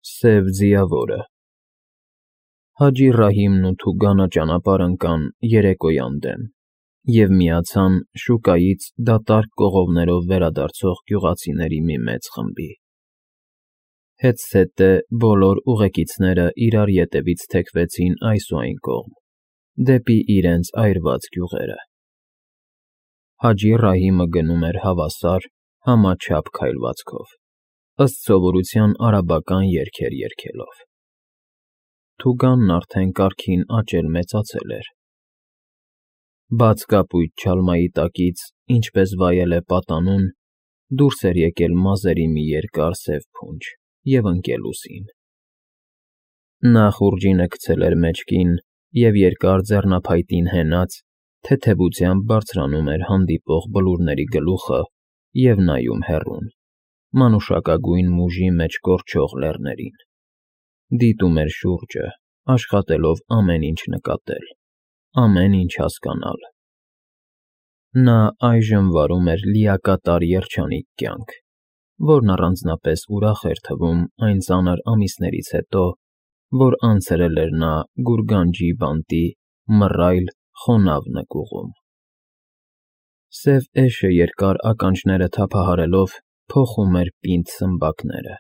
Սև ձիավորը Հաջի Ռահիմն ու Թուգանը ճանապարհ ընկան երեկոյան դեմ և միացան շուկայից դատարկ կողովներով վերադարձող գյուղացիների մի մեծ խմբի։ Հետզհետե բոլոր ուղեկիցները իրար ետևից թեքվեցին այս ու այն կողմ, դեպի իրենց այրված գյուղերը։ Հաջի Ռահիմը գնում էր հավասար, համաչափ քայլվածքով, ըստ սովորության արաբական երգեր երգելով։ Թուգանն արդեն կարգին աճել-մեծացել էր։ Բաց կապույտ չալմայի տակից, ինչպես վայել է պատանուն, դուրս էր եկել մազերի մի երկար սև փունջ և ընկել ուսին։ Նա խուրջինը գցել էր մեջքին և երկար ձեռնափայտին հենած, թեթևությամբ բարձրանում էր հանդիպող բլուրների գլուխը և նայում հեռուն, մանուշակագույն մուժի մեջ կորչող լեռներին, դիտում էր շուրջը, աշխատելով ամեն ինչ նկատել, ամեն ինչ հասկանալ։ Նա այժմ վարում էր լիակատար երջանիկ կյանք, որն առանձնապես ուրախ էր թվում այն ծանր ամիսներից հետո, որ անցրել էր նա գուրգանջի բանտի մռայլ, խոնավ նկուղում։ Սև էշը երկար ականջները թափահարելով փոխում էր պինդ սմբակները։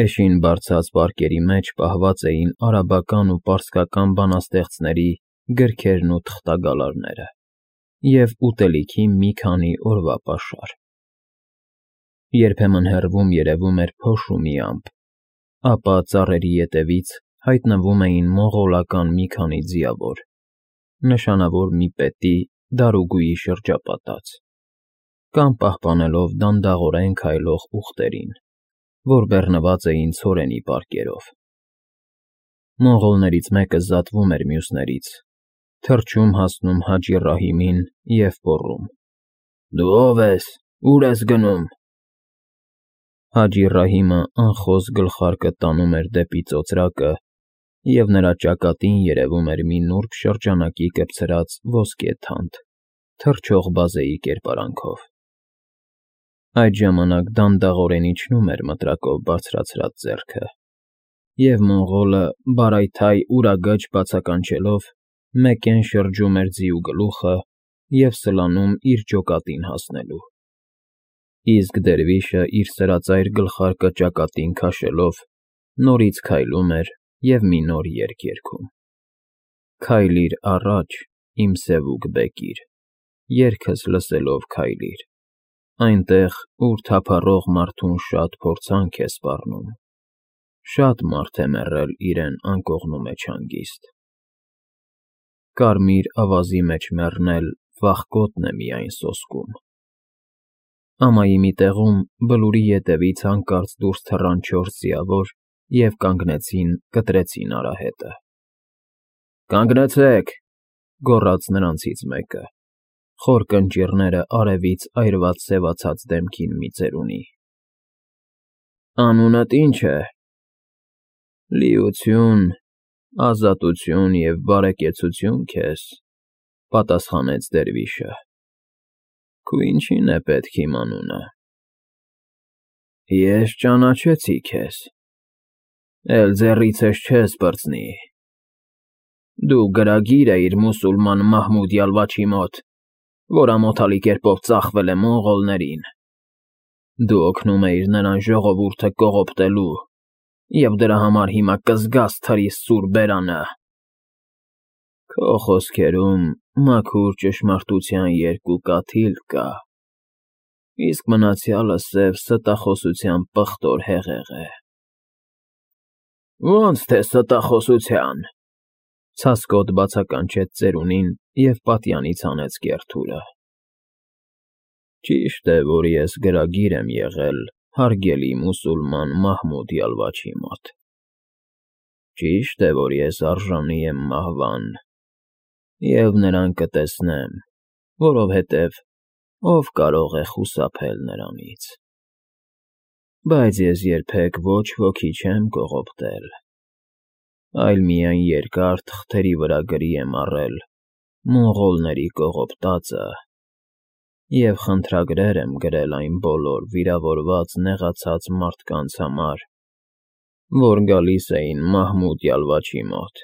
Էշին բարձած պարկերի մեջ պահված էին արաբական ու պարսկական բանաստեղծների գրքերն ու թղթագալարները և ուտելիքի մի քանի օրվա պաշար։ Երբեմն հեռվում երևում էր փոշու մի ամպ, ապա ծառերի ետևից հայտնվում էին մոնղոլական մի քանի ձիավոր, նշանավոր մի պետի դարուգույի շրջապատած, կամ պահպանելով դանդաղորեն քայլող ուղտերին, որ բեռնված էին ցորենի պարկերով։ Մոնղոլներից մեկը զատվում էր մյուսներից, թռչում հասնում Հաջի Ռահիմին և գոռում. «Դու ո՞վ ես, ուր ես գնում»։ Հաջի Ռահիմը անխոս գլխարկը տանում էր դեպի ծոծրակը, և նրա ճակատին երևում էր մի նուրբ շրջանակի կպցրած ոսկե թանդ, թռչող բազեի կերպարանքով։ Այդ ժամանակ դանդաղորեն իջնում էր մտրակով բարձրացրած ձեռքը, և մոնղոլը, բարայթայ ուրագաջ բացականչելով, մեկեն շրջում էր ձիու գլուխը և սլանում իր ջոկատին հասնելու։ Իսկ դերվիշը իր սրածայր գլխարկը ճակատին քաշելով, նորից քայլում էր և մի նոր երգ երգում. «Քայլիր առաջ, իմ սևուկ բեկիր, երգս լսելով քայլիր, այնտեղ, ուր թափառող մարդուն շատ փորձանք է սպառնում, շատ մարդ է մեռել իրեն անկողնու մեջ հանգիստ։ Կարմիր ավազի մեջ մեռնել վախկոտն է միայն սոսկում»։ Ամայի մի տեղում Բլուրի ետևից հանկարծ դուրս թռան 4 ձիավոր և կանգնեցին, կտրեցին արահետը։ «Կանգնեցեք», գոռաց նրանցից մեկը, խոր կնճիռները արևից այրված սևացած դեմքին մի ծերունի։ «Անունդ ի՞նչ է»։ «Լիություն, ազատություն և բարեկեցություն քեզ», պատասխանեց դերվիշը։ «Քու ինչի՞ն է պետք իմ անունը»։ «Ես ճանաչեցի քեզ, էլ ձեռիցս չես պրծնի։ Դու գրագիր էիր մուսուլման Մահմուդ Յալվաչի մոտ, որ ամոթալի կերպով ծախվել է մոնղոլներին։ Դու օգնում էիր նրան ժողովուրդը կողոպտելու և դրա համար հիմա կզգաս թրիս սուր բերանը։ Քո խոսքերում մաքուր ճշմարտության երկու կաթիլ կա, իսկ մնացյալը սև ստախոսության պղտոր հեղեղ է»։ «Ո՞նց թե ստախոսության», ցասկոտ բացականչեց ծերունին և պատյանից հանեց կեռ թուրը։ «Ճիշտ է, որ ես գրագիր եմ եղել հարգելի մուսուլման Մահմուդ Յալվաչի մոտ։ Ճիշտ է, որ ես արժանի եմ մահվան, և նրան կտեսնեմ, որովհետև ով կարող է խուսափել նրանից։ Բայց ես երբեք ոչ ոքի չեմ կողոպտել, այլ միայն երկար թղթերի վրա գրի եմ առել մոնղոլների կողոպտածը և խնդրագրեր եմ գրել այն բոլոր վիրավորված, նեղացած մարդկանց համար, որ գալիս էին Մահմուդ Յալվաչի մոտ,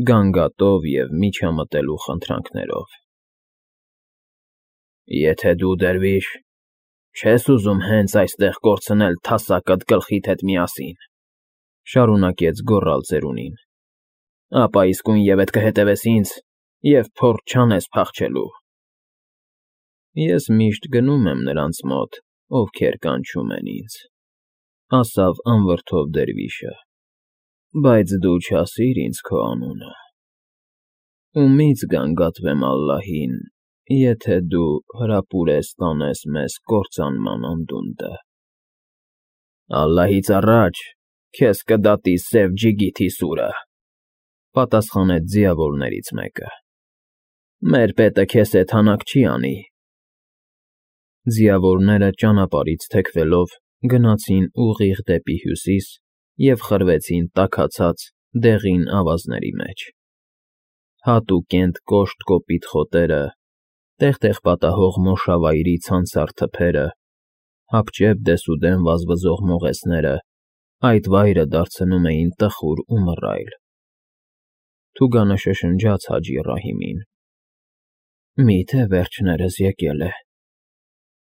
գանգատով և միջամտելու խնդրանքներով։ Եթե դու, դերվիշ, չես ուզում հենց այստեղ կորցնել թասակդ գլխիդ հետ միասին, շարունակեց գոռալ ծերունին, ապա իսկույնևեթ կհետևես ինձ և փորձ չանես փախչելու։ Ես միշտ գնում եմ նրանց մոտ, ովքեր կանչում են ինձ, ասավ անվրդով դերվիշը, բայց դու չասիր ինձ քո անունը։ Ումի՞ց գանգատվեմ Ալլահին, եթե դու հրապուրես տանես մեզ կործանման անդունդը։ Ալլահից առաջ քեզ կդատի սև ջիգիթի սուրը, պատասխանեց ձիավորներից մեկը։ Մեր պետը քեզ հետ հանակ չի անի։ Ձիավորները ճանապարհից թեքվելով գնացին ուղիղ դեպի հյուսիս և խրվեցին տաքացած դեղին ավազների մեջ։ Հատուկենտ կոշտ կոպիտ խոտերը, տեղ֊տեղ պատահող մոշավայրի ցանցառ թփերը, հապճեպ դեսուդեն վազվզող մողեսները այդ վայրը դարձնում էին տխուր ու մռայլ։ Թուգանը շշնջաց Հաջի Ռահիմին. Միթե վերջներս եկել է։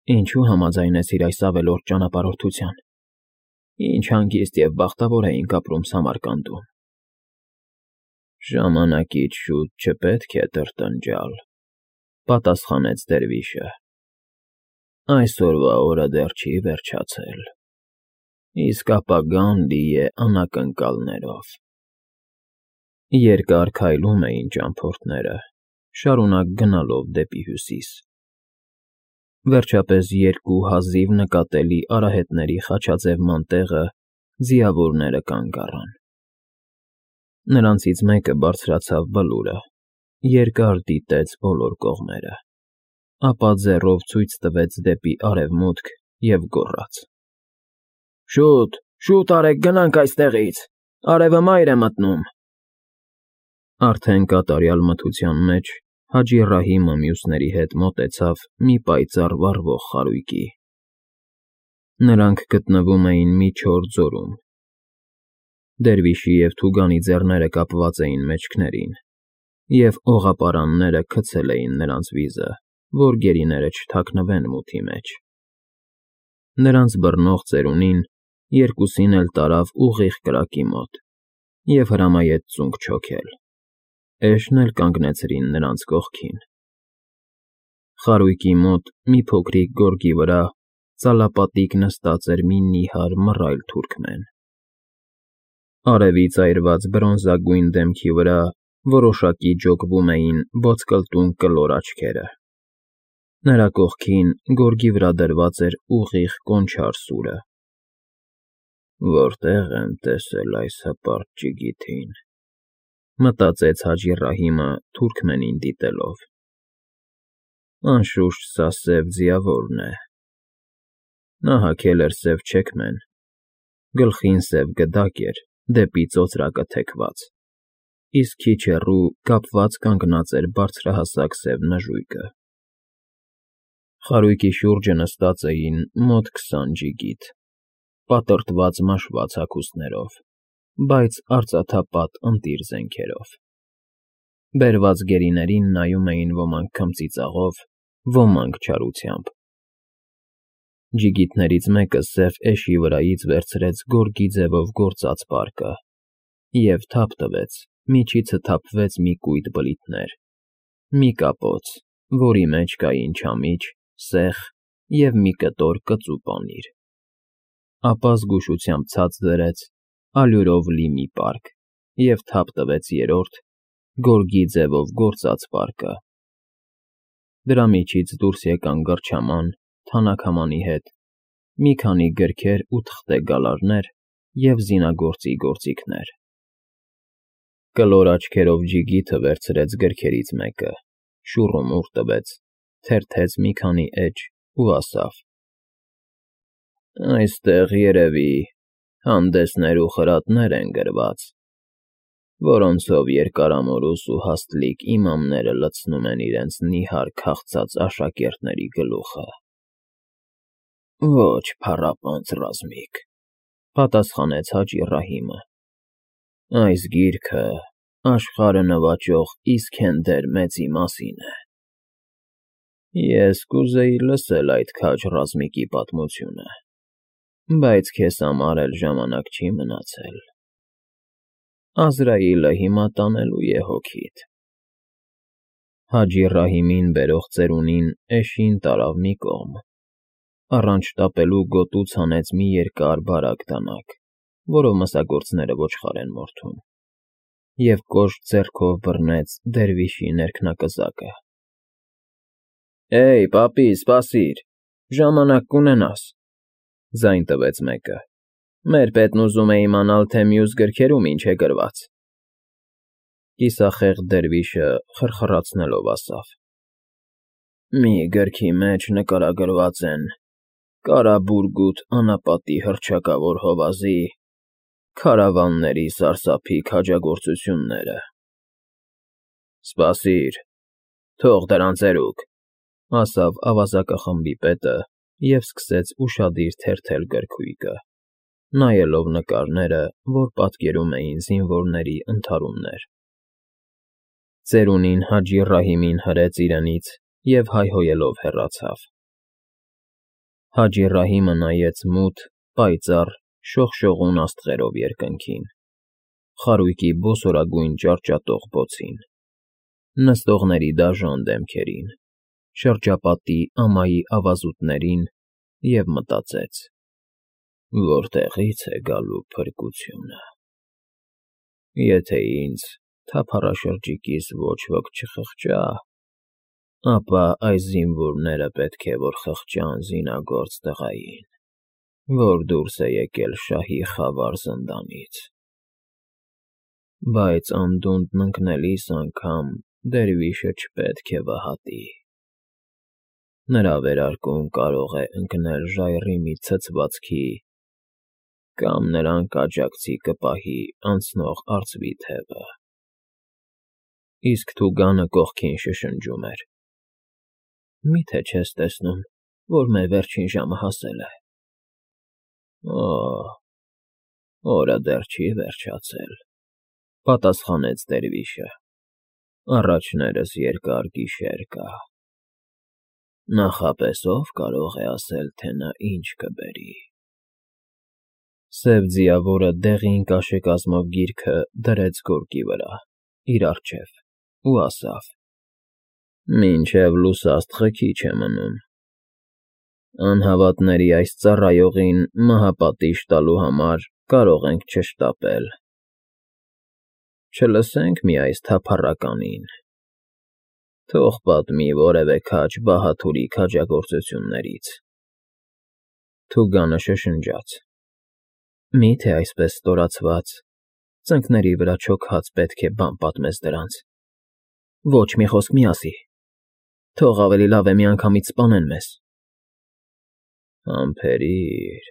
Ինչու համաձայնեցիր այս ավելորդ ճանապարհորդության։ Ինչ հանգիստ և բախտավոր էինք ապրում Սամարկանդում։ Ժամանակից շուտ չպետք է տրտնջալ, պատասխանեց դերվիշը։ Այսօրվա օրը դեռ չի վերջացել, իսկ ապագան լի է անակնկալներով։ Երկար քայլում էին ճամփորդները, շարունակ գնալով դեպի հյուսիս։ Վերջապես երկու հազիվ նկատելի արահետների խաչաձևման տեղը ձիավորները կանգ առան։ Նրանցից մեկը բարձրացավ բլուրը, երկար դիտեց բոլոր կողմերը, ապա ձեռով ցույց տվեց դեպի արևմուտք և գոռաց. Շուտ, շուտ արեք, գնանք այստեղից, արևը մայր է մտնում։ Արդեն կատարյալ մթության մեջ Հաջի Ռահիմը մյուսների հետ մոտեցավ մի պայծառ վառվող խարույկի։ Նրանք գտնվում էին մի չոր ձորում։ Դերվիշի և Թուգանի ձեռները կապված էին մեջքներին, և օղապարանները գցել էին նրանց վիզը, որ գերիները չթաքնվեն մութի մեջ։ Նրանց բռնող ծերունին երկուսին էլ տարավ ուղիղ կրակի մոտ և հրամայեց ծունկ չոքել։ Էշն էլ կանգնեցրին նրանց կողքին։ Խարույկի մոտ մի փոքրիկ գորգի վրա ծալապատիկ նստած էր մի նիհար մռայլ թուրքմեն։ Արևից այրված բրոնզագույն դեմքի վրա որոշակի ջոկվում էին ոսկլտուն կլոր աչքերը։ Նրա կողքին գորգի վրա դրված էր ուղիղ կոնչար սուրը։ Որտե՞ղ եմ տեսել այս հպարտ ջիգիթին, մտածեց Հաջի Ռահիմը թուրքմենին դիտելով։ Անշուշտ սա սև ձիավորն է։ Նա հագել էր սև չեքմեն, գլխին սև գդակ էր դեպի ծոծրակը թեքված, իսկ քիչ հեռու կապված կանգնած էր բարձրահասակ սև նժույգը։ Խարույկի շուրջը նստած էին մոտ 20 ջիգիթ, պատրտված մաշված հագուստներով, բայց արծաթապատ ընտիր զենքերով։ Բերված գերիներին նայում էին ոմանք քմծիծաղով, ոմանք չարությամբ։ Ջիգիթներից մեկը սև էշի վրայից վերցրեց գորգի ձևով գործած պարկը և թափ տվեց, միջիցը թափվեց մի կույտ բլիթներ, մի կապոց, որի մեջ կային չամիչ, սեխ և մի կտոր կծու պանիր, ապա զգուշությամբ ցած դրեց ալյուրով լի մի պարկ և թափ տվեց երրորդ, գորգի ձևով գործած պարկը։ Դրա միջից դուրս եկան գրչաման, թանաքամանի հետ, մի քանի գրքեր ու թղթե գալարներ և զինագործի գործիքներ։ Կլոր աչքերով ջիգիթը վերցրեց գրքերից մեկը, շուռումուռ տվեց, թերթեց մի քանի էջ ու ասավ. Այստեղ, երևի, հանդեսներ ու խրատներ են գրված, որոնցով երկարամորուս ու հաստլիկ իմամները լցնում են իրենց նիհար քաղցած աշակերտների գլուխը։ Ոչ փառապանծ ռազմիկ, Պատասխանեց Հաջի Ռահիմը։ Այս գիրքը աշխարհը նվաճող Իսքենդեր մեծի մասին է։ Ես կուզեի լսել այդ քաջ ռազմիկի պատմությունը, բայց քեզ համար էլ ժամանակ չի մնացել։ Ազրայիլը հիմա տանելու է հոգիդ։ Հաջի Ռահիմին բերող ծերունին էշին տարավ մի կողմ, առանց շտապելու գոտուց հանեց մի երկար բարակ դանակ, որով մսագործները ոչխար են մորթում, և կոշտ ձեռքով բռնեց դերվիշի ներքնակզակը։ Էй, պապի, սպասիր, ժամանակ կունենաս, ձայն տվեց մեկը։ Մեր պետն ուզում է իմանալ, թե մյուս գրքերում ինչ է գրված։ Կիսախեղդ դերվիշը խրխրացնելով ասավ. Մի գրքի մեջ նկարագրված են Կարաբուրգութ անապատի հռչակավոր հովազի քարավանների սարսափիկ հաջագործությունները։ Սպասիր, թող դրան ծերուկ, ասավ ավազակախմբի պետը և սկսեց ուշադիր թերթել գրքույկը, նայելով նկարները, որ պատկերում էին զինվորների ընդհարումներ։ Ծերունին Հաջի Ռահիմին հրեց իրենից և հայհոյելով հեռացավ։ Հաջի Ռահիմը նայեց մութ, պայծառ, շողշողուն աստղերով երկնքին, խարույկի բոսորագույն ճարճատող բոցին, նստողների դաժան դեմքերին, շրջապատի ամայի ավազուտներին և մտածեց. Որտեղից է գալու փրկությունը։ Եթե ինձ թափառաշրջիկիս ոչ ոք չխղճա, ապա այս զինվորները պետք է որ խղճան զինագործ տղային, որ դուրս է եկել շահի խավար զնդանից։ Բայց անդունդն ընկնելիս անգամ դերվիշը չպետք է վհատի։ Նրա վերարկուն կարող է ընկնել ժայռի մի ցցվածքի կամ նրան կաջակցի կպահի անցնող արծվի թևը։ Իսկ թուգանը կողքին շշնջում էր. Միթե չես տեսնում, որ մեր վերջին ժամը հասել է։ Օ, օրը դեռ չի վերջացել, պատասխանեց դերվիշը։ Առաջներս երկար գիշեր կա։ Նախապես ով կարող է ասել, թե նա ինչ կբերի։ Սև ձիավորը դեղին կաշեկազմով գիրքը դրեց գորգի վրա, իր առջև, ու ասավ. Մինչև լուսաստղը քիչ է մնում։ Անհավատների այս ծառայողին մահապատիժ տալու համար կարող ենք չշտապել։ Չլսենք մի այս թափառականին։ Թող պատմի որևէ քաջ բահաթուրի քաջագործություններից։ Թուգանը շշնջաց. Միթե այսպես ստորացված, ծնկների վրա չոքած պետք է բան պատմես դրանց։ Ոչ մի խոսք մի ասի։ Թող ավելի լավ է միանգամից սպանեն մեզ։ Համբերիր,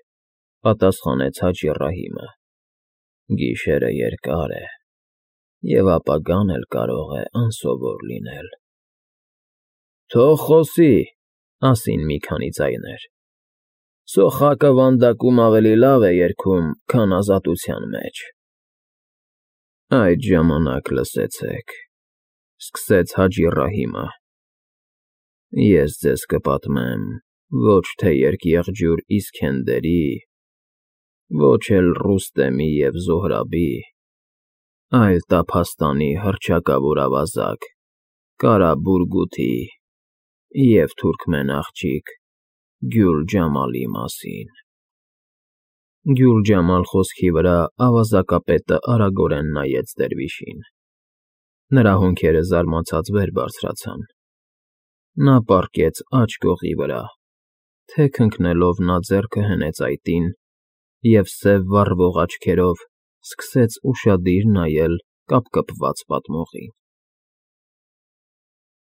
պատասխանեց Հաջի Ռահիմը։ Գիշերը երկար է, և ապագան էլ կարող է անսովոր լինել։ Թող խոսի, ասին մի քանի ձայներ։ Սոխակը վանդակում ավելի լավ է երգում, քան ազատության մեջ։ Այդ ժամանակ լսեցեք, սկսեց Հաջի Ռահիմը։ Ես ձեզ կպատմեմ ոչ թե երկեղջյուր Իսքենդերի, ոչ էլ Ռուստեմի և Զոհրաբի, այլ Տափաստանի հռչակավոր ավազակ Կարաբուրգութի և թուրքմեն աղջիկ Գյուլ֊Ջամալի մասին։ Գյուլ֊Ջամալ խոսքի վրա ավազակապետը արագորեն նայեց դերվիշին։ Նրա հոնքերը զարմացած վեր բարձրացան։ Նա պառկեց աջ կողի վրա, թեք ընկնելով նա ձեռքը հնեց այտին և սև վառվող աչքերով սկսեց ուշադիր նայել կապկպված պատմողին։